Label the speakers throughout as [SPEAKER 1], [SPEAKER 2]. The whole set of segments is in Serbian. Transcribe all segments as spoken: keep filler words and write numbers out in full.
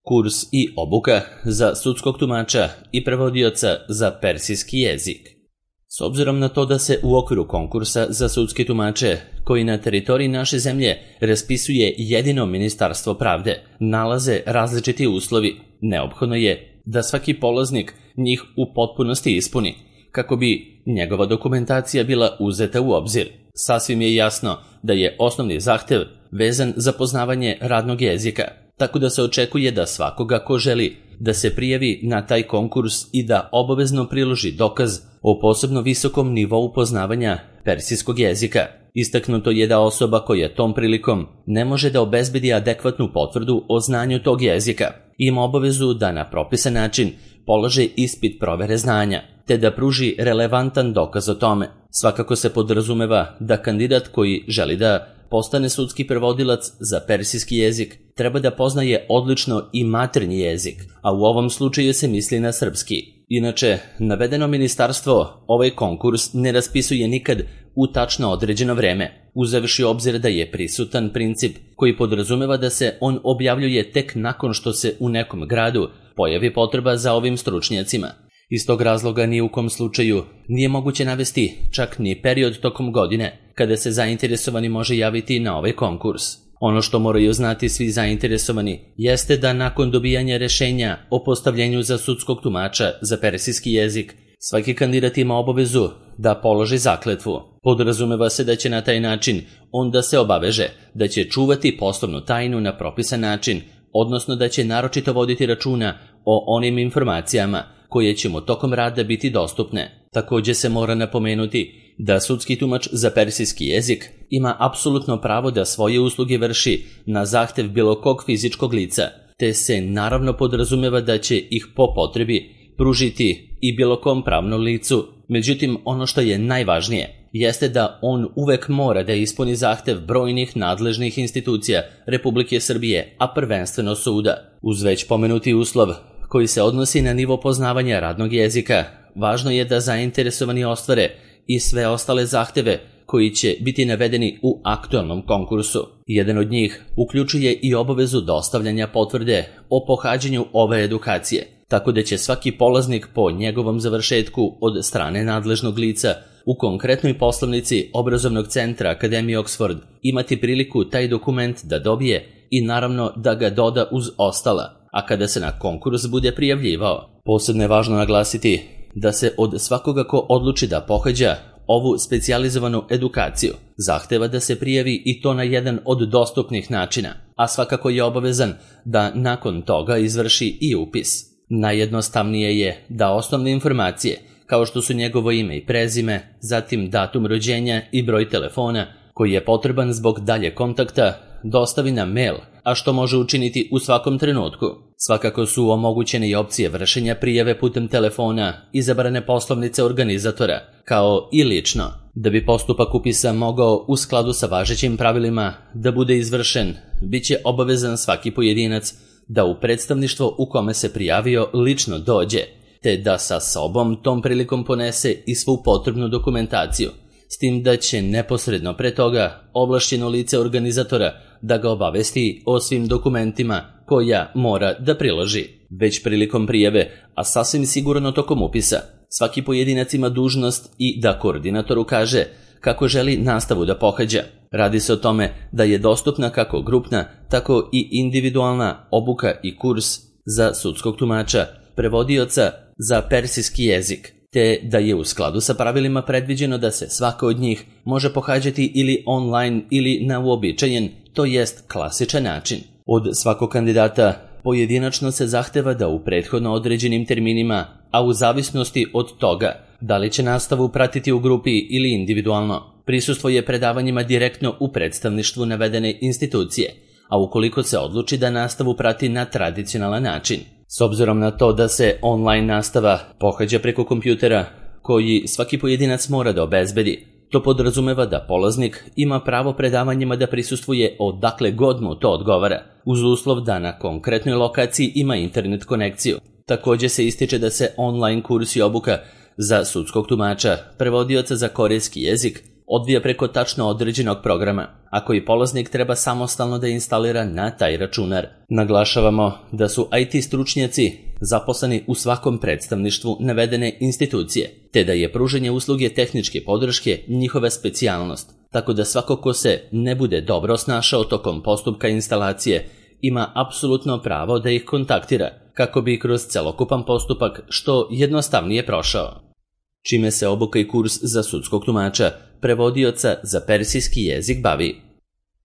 [SPEAKER 1] kurs i obuka za sudskog tumača i prevodioca za persijski jezik. S obzirom na to da se u okviru konkursa za sudske tumače, koji na teritoriji naše zemlje raspisuje jedino Ministarstvo pravde, nalaze različiti uslovi, neophodno je da svaki polaznik njih u potpunosti ispuni, kako bi njegova dokumentacija bila uzeta u obzir. Sasvim je jasno da je osnovni zahtev vezan za poznavanje radnog jezika, tako da se očekuje da svakoga ko želi da se prijavi na taj konkurs i da obavezno priloži dokaz o posebno visokom nivou poznavanja persijskog jezika. Istaknuto je da osoba koja tom prilikom ne može da obezbedi adekvatnu potvrdu o znanju tog jezika ima obavezu da na propisan način polaže ispit provere znanja, te da pruži relevantan dokaz o tome. Svakako se podrazumeva da kandidat koji želi da postane sudski prevodilac za persijski jezik treba da poznaje odlično i maternji jezik, a u ovom slučaju se misli na srpski. Inače, navedeno ministarstvo ovaj konkurs ne raspisuje nikad u tačno određeno vreme, uzevši obzir da je prisutan princip koji podrazumeva da se on objavljuje tek nakon što se u nekom gradu pojavi potreba za ovim stručnjacima. Iz tog razloga ni u kom slučaju nije moguće navesti čak ni period tokom godine kada se zainteresovani može javiti na ovaj konkurs. Ono što moraju znati svi zainteresovani jeste da nakon dobijanja rešenja o postavljenju za sudskog tumača za persijski jezik, svaki kandidat ima obavezu da položi zakletvu. Podrazumeva se da će na taj način on da se obaveže da će čuvati poslovnu tajnu na propisan način, odnosno da će naročito voditi računa o onim informacijama koje će mu tokom rada biti dostupne. Također se mora napomenuti da sudski tumač za persijski jezik ima apsolutno pravo da svoje usluge vrši na zahtev bilo kog fizičkog lica, te se naravno podrazumeva da će ih po potrebi pružiti i bilo kom pravnom licu. Međutim, ono što je najvažnije jeste da on uvek mora da ispuni zahtev brojnih nadležnih institucija Republike Srbije, a prvenstveno suda. Uz već pomenuti uslov koji se odnosi na nivo poznavanja radnog jezika, važno je da zainteresovani ostvare i sve ostale zahteve koji će biti navedeni u aktualnom konkursu. Jedan od njih uključuje i obavezu dostavljanja potvrde o pohađanju ove edukacije, tako da će svaki polaznik po njegovom završetku od strane nadležnog lica u konkretnoj poslovnici obrazovnog centra Akademije Oxford imati priliku taj dokument da dobije i naravno da ga doda uz ostala, a kada se na konkurs bude prijavljivao. Posebno je važno naglasiti da se od svakoga ko odluči da pohađa ovu specijalizovanu edukaciju zahteva da se prijavi i to na jedan od dostupnih načina, a svakako je obavezan da nakon toga izvrši i upis. Najjednostavnije je da osnovne informacije, kao što su njegovo ime i prezime, zatim datum rođenja i broj telefona koji je potreban zbog dalje kontakta, dostavi na mail, a što može učiniti u svakom trenutku. Svakako su omogućene i opcije vršenja prijave putem telefona, izabrane poslovnice organizatora, kao i lično. Da bi postupak upisa mogao u skladu sa važećim pravilima da bude izvršen, bit će obavezan svaki pojedinac da u predstavništvo u kome se prijavio lično dođe, te da sa sobom tom prilikom ponese i svu potrebnu dokumentaciju, s tim da će neposredno pre toga ovlašćeno lice organizatora da ga obavesti o svim dokumentima koja mora da priloži. Već prilikom prijave, a sasvim sigurno tokom upisa, svaki pojedinac ima dužnost i da koordinatoru kaže kako želi nastavu da pohađa. Radi se o tome da je dostupna kako grupna, tako i individualna obuka i kurs za sudskog tumača, prevodioca za persijski jezik, te da je u skladu sa pravilima predviđeno da se svaka od njih može pohađati ili online ili na uobičajen, to jest klasičan način. Od svakog kandidata pojedinačno se zahteva da u prethodno određenim terminima, a u zavisnosti od toga da li će nastavu pratiti u grupi ili individualno, prisustvuje predavanjima direktno u predstavništvu navedene institucije, a ukoliko se odluči da nastavu prati na tradicionalan način. S obzirom na to da se online nastava pohađa preko kompjutera, koji svaki pojedinac mora da obezbedi, to podrazumeva da polaznik ima pravo predavanjima da prisustvuje odakle god mu to odgovara, uz uslov da na konkretnoj lokaciji ima internet konekciju. Također se ističe da se online kurs i obuka za sudskog tumača, prevodioca za korejski jezik, odvija preko tačno određenog programa, a koji polaznik treba samostalno da instalira na taj računar. Naglašavamo da su I T stručnjaci zaposleni u svakom predstavništvu navedene institucije, te da je pružanje usluge tehničke podrške njihova specijalnost, tako da svako ko se ne bude dobro snašao tokom postupka instalacije ima apsolutno pravo da ih kontaktira, kako bi kroz celokupan postupak što jednostavnije prošao. Čime se obuka i kurs za sudskog tumača, prevodioca za persijski jezik bavi.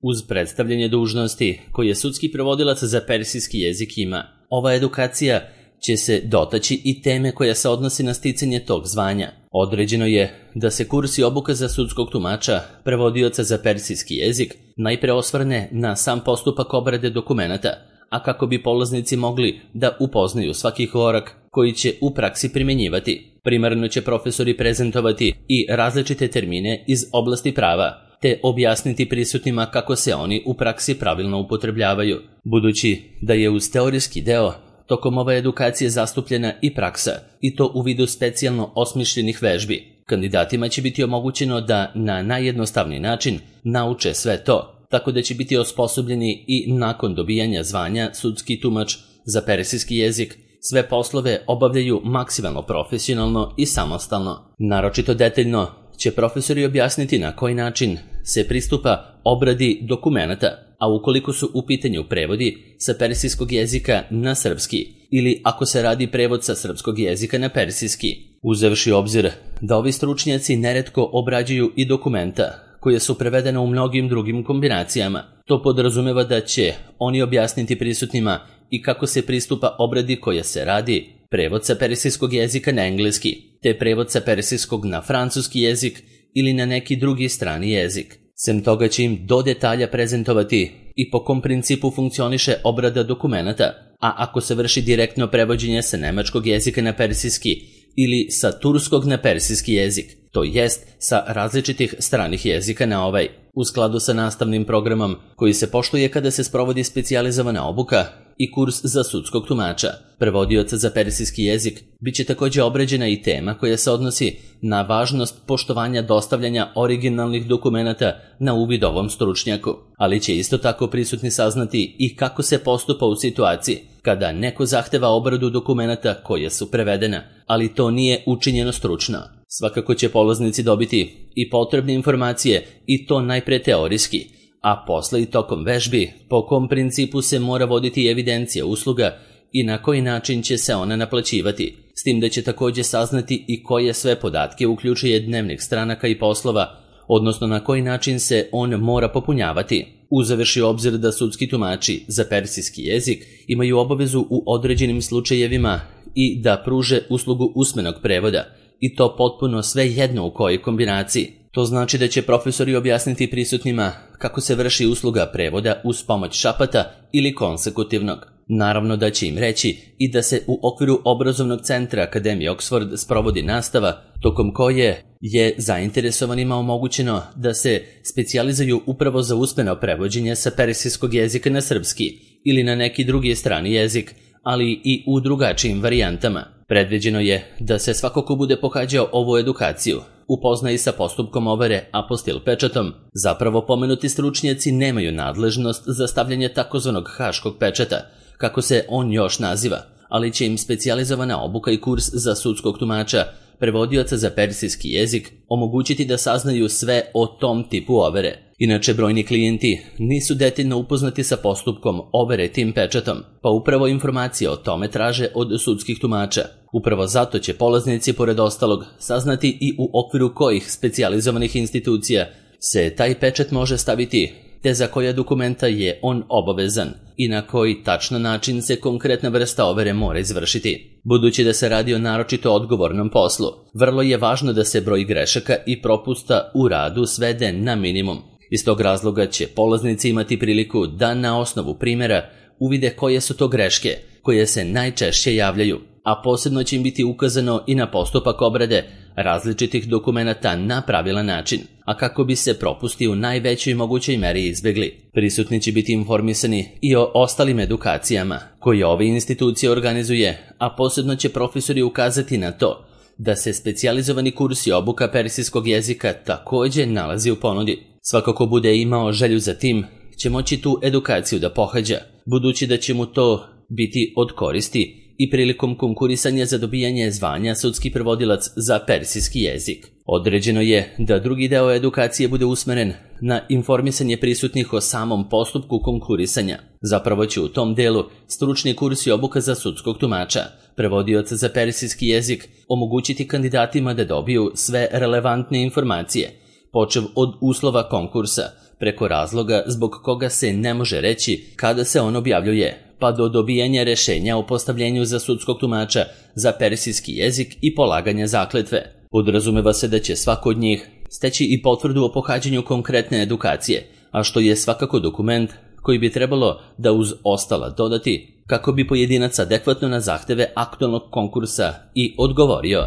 [SPEAKER 1] Uz predstavljanje dužnosti koje sudski prevodilac za persijski jezik ima, ova edukacija će se dotaći i teme koja se odnosi na sticanje tog zvanja. Određeno je da se kurs i obuka za sudskog tumača, prevodioca za persijski jezik, najpre osvrne na sam postupak obrade dokumenata, a kako bi polaznici mogli da upoznaju svaki korak koji će u praksi primjenjivati. Primarno će profesori prezentovati i različite termine iz oblasti prava, te objasniti prisutnima kako se oni u praksi pravilno upotrebljavaju. Budući da je uz teorijski deo tokom ove edukacije zastupljena i praksa, i to u vidu specijalno osmišljenih vežbi, kandidatima će biti omogućeno da na najjednostavniji način nauče sve to, tako da će biti osposobljeni i nakon dobijanja zvanja sudski tumač za persijski jezik sve poslove obavljaju maksimalno profesionalno i samostalno. Naročito detaljno će profesori objasniti na koji način se pristupa obradi dokumenata, a ukoliko su u pitanju prevodi sa persijskog jezika na srpski ili ako se radi prevod sa srpskog jezika na persijski, uzevši obzir da ovi stručnjaci neretko obrađuju i dokumenta koje su prevedene u mnogim drugim kombinacijama. To podrazumeva da će oni objasniti prisutnima i kako se pristupa obradi koja se radi prevod sa persijskog jezika na engleski, te prevod sa persijskog na francuski jezik ili na neki drugi strani jezik. Sem toga će im do detalja prezentovati i po kom principu funkcioniše obrada dokumenata, a ako se vrši direktno prevođenje sa nemačkog jezika na persijski ili sa turskog na persijski jezik, to jest sa različitih stranih jezika na ovaj, u skladu sa nastavnim programom koji se poštuje kada se sprovodi specijalizovana obuka i kurs za sudskog tumača, prevodioca za persijski jezik, bit će također obrađena i tema koja se odnosi na važnost poštovanja dostavljanja originalnih dokumenata na uvid ovom stručnjaku, ali će isto tako prisutni saznati i kako se postupa u situaciji kada neko zahteva obradu dokumenata koje su prevedena, ali to nije učinjeno stručno. Svakako će polaznici dobiti i potrebne informacije i to najpre teorijski, a posle i tokom vežbi po kom principu se mora voditi evidencija usluga i na koji način će se ona naplaćivati, s tim da će također saznati i koje sve podatke uključuje dnevnik stranaka i poslova, odnosno na koji način se on mora popunjavati. Uzevši obzir da sudski tumači za persijski jezik imaju obavezu u određenim slučajevima i da pruže uslugu usmenog prevoda, i to potpuno sve jedno u kojoj kombinaciji. To znači da će profesori objasniti prisutnima kako se vrši usluga prevoda uz pomoć šapata ili konsekutivnog. Naravno da će im reći i da se u okviru obrazovnog centra Akademije Oxford sprovodi nastava, tokom koje je zainteresovanima omogućeno da se specijalizuju upravo za usmeno prevođenje sa persijskog jezika na srpski ili na neki drugi strani jezik, ali i u drugačijim varijantama. Predviđeno je da se svako ko bude pohađao ovu edukaciju upozna i sa postupkom overe apostil pečatom. Zapravo pomenuti stručnjaci nemaju nadležnost za stavljanje takozvanog haškog pečata, kako se on još naziva, ali će im specijalizovana obuka i kurs za sudskog tumača, prevodioca za persijski jezik, omogućiti da saznaju sve o tom tipu overe. Inače, brojni klijenti nisu detaljno upoznati sa postupkom overe tim pečatom, pa upravo informacije o tome traže od sudskih tumača. Upravo zato će polaznici, pored ostalog, saznati i u okviru kojih specijalizovanih institucija se taj pečat može staviti, te za koja dokumenta je on obavezan i na koji tačno način se konkretna vrsta overe mora izvršiti. Budući da se radi o naročito odgovornom poslu, vrlo je važno da se broj grešaka i propusta u radu svede na minimum. Iz tog razloga će polaznici imati priliku da na osnovu primjera uvide koje su to greške koje se najčešće javljaju, a posebno će im biti ukazano i na postupak obrade različitih dokumenata na pravilan način, a kako bi se propusti u najvećoj mogućoj meri izbjegli. Prisutni će biti informisani i o ostalim edukacijama koje ove institucije organizuje, a posebno će profesori ukazati na to da se specijalizovani kurs i obuka persijskog jezika također nalazi u ponudi. Svako ko bude imao želju za tim će moći tu edukaciju da pohađa, budući da će mu to biti od koristi i prilikom konkurisanja za dobijanje zvanja sudski prevodilac za persijski jezik. Određeno je da drugi deo edukacije bude usmeren na informisanje prisutnih o samom postupku konkurisanja. Zapravo će u tom delu stručni kurs i obuka za sudskog tumača, prevodioca za persijski jezik, omogućiti kandidatima da dobiju sve relevantne informacije, počev od uslova konkursa, preko razloga zbog koga se ne može reći kada se on objavljuje, pa do dobijanja rešenja o postavljenju za sudskog tumača za persijski jezik i polaganja zakletve. Podrazumeva se da će svako od njih steći i potvrdu o pohađanju konkretne edukacije, a što je svakako dokument koji bi trebalo da uz ostala dodati kako bi pojedinac adekvatno na zahteve aktualnog konkursa i odgovorio.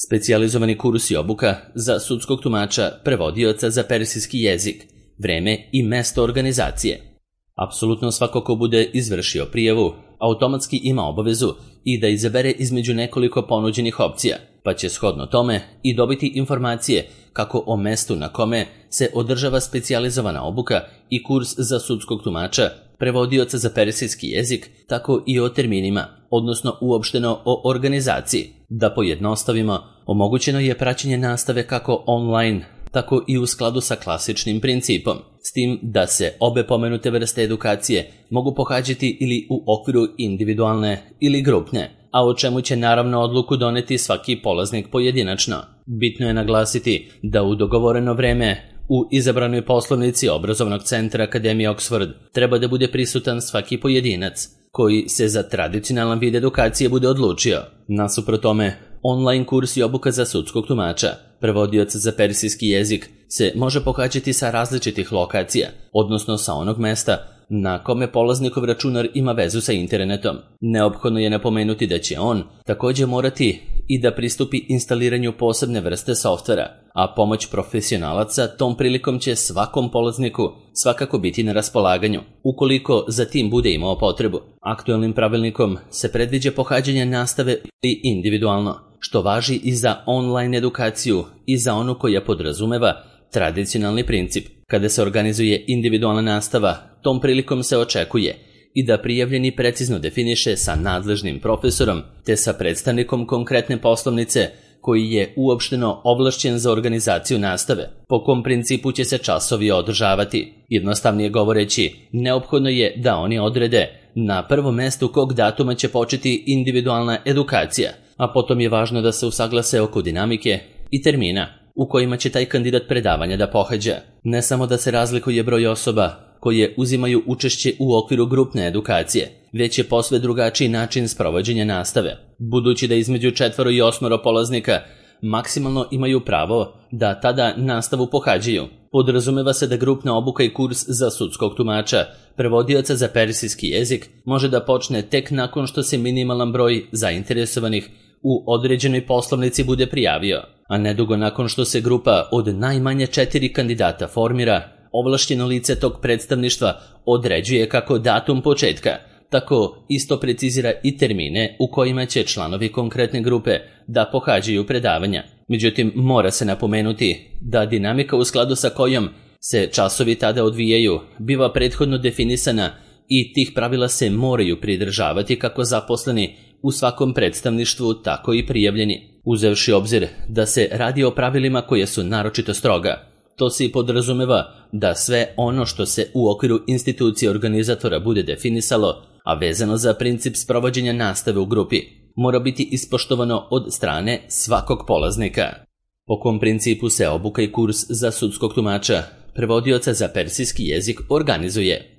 [SPEAKER 1] Specijalizovani kurs i obuka za sudskog tumača, prevodioca za persijski jezik, vreme i mesto organizacije. Apsolutno svako ko bude izvršio prijavu automatski ima obavezu i da izabere između nekoliko ponuđenih opcija, pa će shodno tome i dobiti informacije kako o mestu na kome se održava specijalizovana obuka i kurs za sudskog tumača, prevodioca za persijski jezik, tako i o terminima, odnosno uopšteno o organizaciji. Da pojednostavimo, omogućeno je praćenje nastave kako online, tako i u skladu sa klasičnim principom, s tim da se obe pomenute vrste edukacije mogu pohađati ili u okviru individualne ili grupne, a o čemu će naravno odluku doneti svaki polaznik pojedinačno. Bitno je naglasiti da u dogovoreno vreme u izabranoj poslovnici obrazovnog centra Akademije Oxford treba da bude prisutan svaki pojedinac koji se za tradicionalan vid edukacije bude odlučio. Nasuprot tome, online kurs i obuka za sudskog tumača, prevodioca za persijski jezik, se može pohađati sa različitih lokacija, odnosno sa onog mesta na kome polaznikov računar ima vezu sa internetom. Neophodno je napomenuti da će on također morati i da pristupi instaliranju posebne vrste softvera, a pomoć profesionalaca tom prilikom će svakom polazniku svakako biti na raspolaganju, ukoliko za tim bude imao potrebu. Aktualnim pravilnikom se predviđa pohađanje nastave i individualno, što važi i za online edukaciju i za onu koja podrazumeva tradicionalni princip. Kada se organizuje individualna nastava, tom prilikom se očekuje i da prijavljeni precizno definiše sa nadležnim profesorom te sa predstavnikom konkretne poslovnice koji je uopšteno ovlašćen za organizaciju nastave, po kom principu će se časovi održavati. Jednostavnije govoreći, neophodno je da oni odrede na prvom mestu kog datuma će početi individualna edukacija, a potom je važno da se usaglase oko dinamike i termina u kojima će taj kandidat predavanja da pohađa. Ne samo da se razlikuje broj osoba koje uzimaju učešće u okviru grupne edukacije, već je posve drugačiji način sprovođenja nastave, budući da između četvoro i osmoro polaznika maksimalno imaju pravo da tada nastavu pohađaju. Podrazumeva se da grupna obuka i kurs za sudskog tumača, prevodioca za persijski jezik, može da počne tek nakon što se minimalan broj zainteresovanih u određenoj poslovnici bude prijavio, a nedugo nakon što se grupa od najmanje četiri kandidata formira, ovlašćeno lice tog predstavništva određuje kako datum početka, tako isto precizira i termine u kojima će članovi konkretne grupe da pohađaju predavanja. Međutim, mora se napomenuti da dinamika u skladu sa kojom se časovi tada odvijaju biva prethodno definisana i tih pravila se moraju pridržavati kako zaposleni u svakom predstavništvu, tako i prijavljeni. Uzevši obzir da se radi o pravilima koje su naročito stroga, to se i podrazumeva da sve ono što se u okviru institucije organizatora bude definisalo, a vezano za princip sprovođenja nastave u grupi, mora biti ispoštovano od strane svakog polaznika. Po kom principu se obuka i kurs za sudskog tumača, prevodioca za persijski jezik organizuje?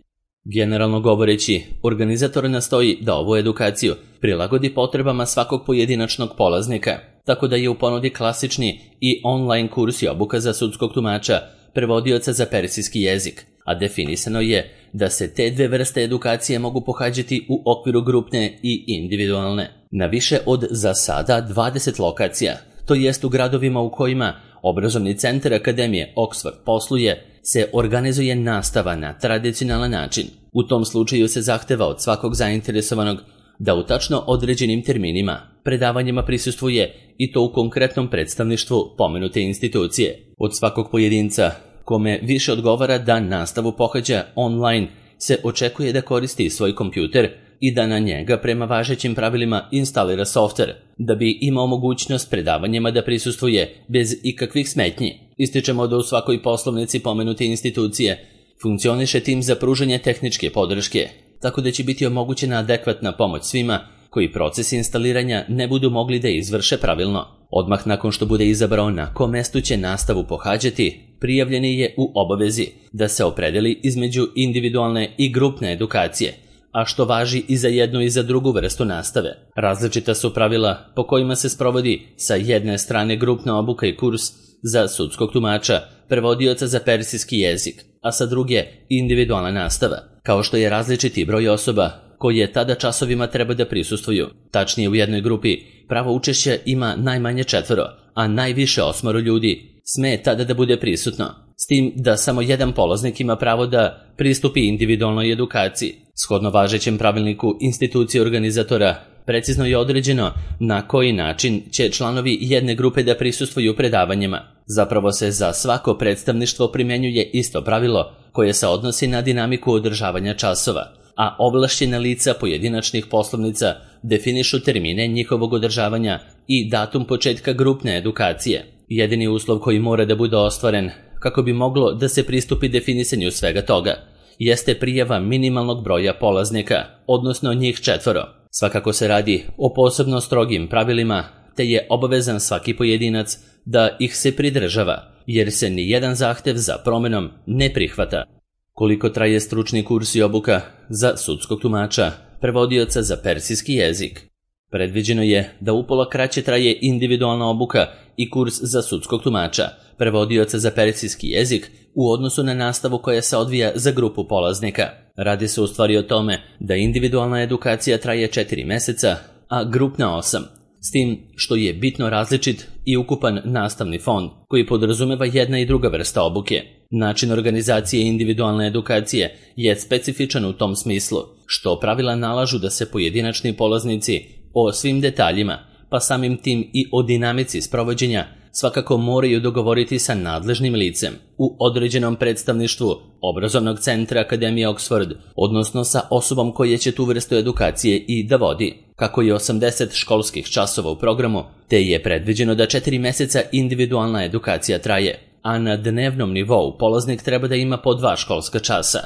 [SPEAKER 1] Generalno govoreći, organizator nastoji da ovu edukaciju prilagodi potrebama svakog pojedinačnog polaznika, tako da je u ponudi klasični i online kurs i obuka za sudskog tumača, prevodioca za persijski jezik, a definisano je da se te dve vrste edukacije mogu pohađati u okviru grupne i individualne. Na više od za sada dvadeset lokacija, to jest u gradovima u kojima obrazovni centar Akademije Oxford posluje, se organizuje nastava na tradicionalan način. U tom slučaju se zahteva od svakog zainteresovanog da u tačno određenim terminima predavanjima prisustvuje i to u konkretnom predstavništvu pomenute institucije. Od svakog pojedinca kome više odgovara da nastavu pohađa online se očekuje da koristi svoj kompjuter i da na njega prema važećim pravilima instalira softver, da bi imao mogućnost predavanjima da prisustvuje bez ikakvih smetnji. Ističemo da u svakoj poslovnici pomenute institucije funkcioniše tim za pružanje tehničke podrške, tako da će biti omogućena adekvatna pomoć svima koji proces instaliranja ne budu mogli da izvrše pravilno. Odmah nakon što bude izabrao na kom mestu će nastavu pohađati, prijavljeni je u obavezi da se opredeli između individualne i grupne edukacije, a što važi i za jednu i za drugu vrstu nastave. Različita su pravila po kojima se sprovodi sa jedne strane grupna obuka i kurs za sudskog tumača, prevodioca za persijski jezik, a sa druge individualna nastava, kao što je različiti broj osoba koje tada časovima treba da prisustvuju. Tačnije, u jednoj grupi pravo učešća ima najmanje četvoro, a najviše osmoro ljudi sme tada da bude prisutno, s tim da samo jedan polaznik ima pravo da pristupi individualnoj edukaciji. Shodno važećem pravilniku institucije organizatora, precizno je određeno na koji način će članovi jedne grupe da prisustvuju predavanjima. Zapravo se za svako predstavništvo primjenjuje isto pravilo koje se odnosi na dinamiku održavanja časova, a ovlašćena lica pojedinačnih poslovnica definišu termine njihovog održavanja i datum početka grupne edukacije. Jedini uslov koji mora da bude ostvaren kako bi moglo da se pristupi definisanju svega toga jeste prijava minimalnog broja polaznika, odnosno njih četvoro. Svakako se radi o posebno strogim pravilima, te je obavezan svaki pojedinac da ih se pridržava, jer se ni jedan zahtev za promenom ne prihvata. Koliko traje stručni kurs i obuka za sudskog tumača, prevodioca za persijski jezik? Predviđeno je da upola kraće traje individualna obuka i kurs za sudskog tumača, prevodioca za persijski jezik u odnosu na nastavu koja se odvija za grupu polaznika. Radi se u stvari o tome da individualna edukacija traje četiri meseca, a grupna osam, s tim što je bitno različit i ukupan nastavni fond koji podrazumeva jedna i druga vrsta obuke. Način organizacije individualne edukacije je specifičan u tom smislu, što pravila nalažu da se pojedinačni polaznici o svim detaljima, pa samim tim i o dinamici sprovođenja, svakako moraju dogovoriti sa nadležnim licem u određenom predstavništvu obrazovnog centra Akademije Oxford, odnosno sa osobom koja će tu vrstu edukacije i da vodi. Kako je osamdeset školskih časova u programu, te je predviđeno da četiri meseca individualna edukacija traje, a na dnevnom nivou polaznik treba da ima po dva školska časa,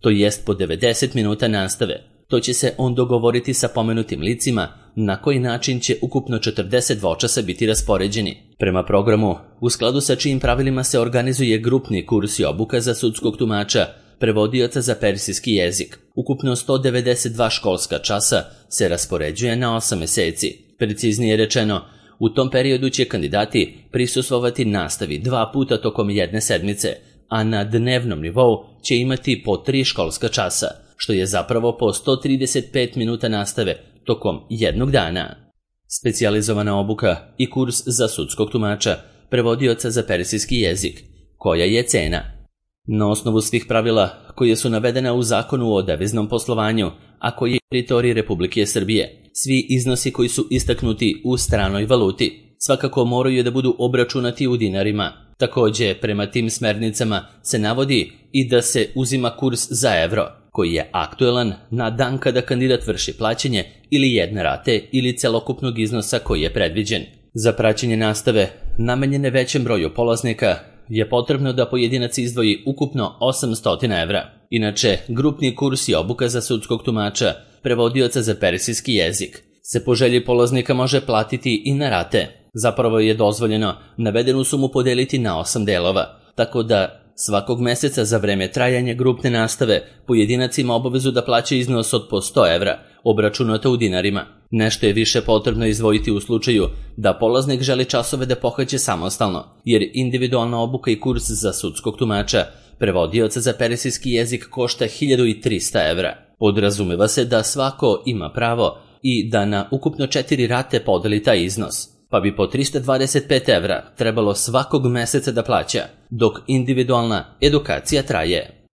[SPEAKER 1] to jest po devedeset minuta nastave. To će se on dogovoriti sa pomenutim licima na koji način će ukupno četrdeset dvočasa biti raspoređeni. Prema programu, u skladu sa čijim pravilima se organizuje grupni kurs i obuka za sudskog tumača, prevodioca za persijski jezik. Ukupno sto devedeset dva školska časa se raspoređuje na osam meseci. Preciznije rečeno, u tom periodu će kandidati prisustvovati nastavi dva puta tokom jedne sedmice, a na dnevnom nivou će imati po tri školska časa, što je zapravo po sto trideset pet minuta nastave tokom jednog dana. Specijalizovana obuka i kurs za sudskog tumača, prevodioca za persijski jezik. Koja je cena? Na osnovu svih pravila koje su navedena u Zakonu o deviznom poslovanju, a koji je teritorij Republike Srbije, svi iznosi koji su istaknuti u stranoj valuti svakako moraju da budu obračunati u dinarima. Takođe, prema tim smernicama se navodi i da se uzima kurs za evro, koji je aktuelan na dan kada kandidat vrši plaćanje ili jedne rate ili celokupnog iznosa koji je predviđen. Za praćenje nastave, namenjene većem broju polaznika, je potrebno da pojedinac izdvoji ukupno osamsto evra. Inače, grupni kurs i obuka za sudskog tumača, prevodioca za persijski jezik, se po želji polaznika može platiti i na rate. Zapravo je dozvoljeno navedenu sumu podeliti na osam delova, tako da svakog meseca za vreme trajanja grupne nastave pojedinac ima obavezu da plaća iznos od po sto evra, obračunato u dinarima. Nešto je više potrebno izdvojiti u slučaju da polaznik želi časove da pohađa samostalno, jer individualna obuka i kurs za sudskog tumača, prevodioca za persijski jezik košta hiljadu trista evra. Podrazumeva se da svako ima pravo i da na ukupno četiri rate podeli taj iznos, pa bi po trista dvadeset pet evra trebalo svakog meseca da plaća, dok individualna edukacija traje.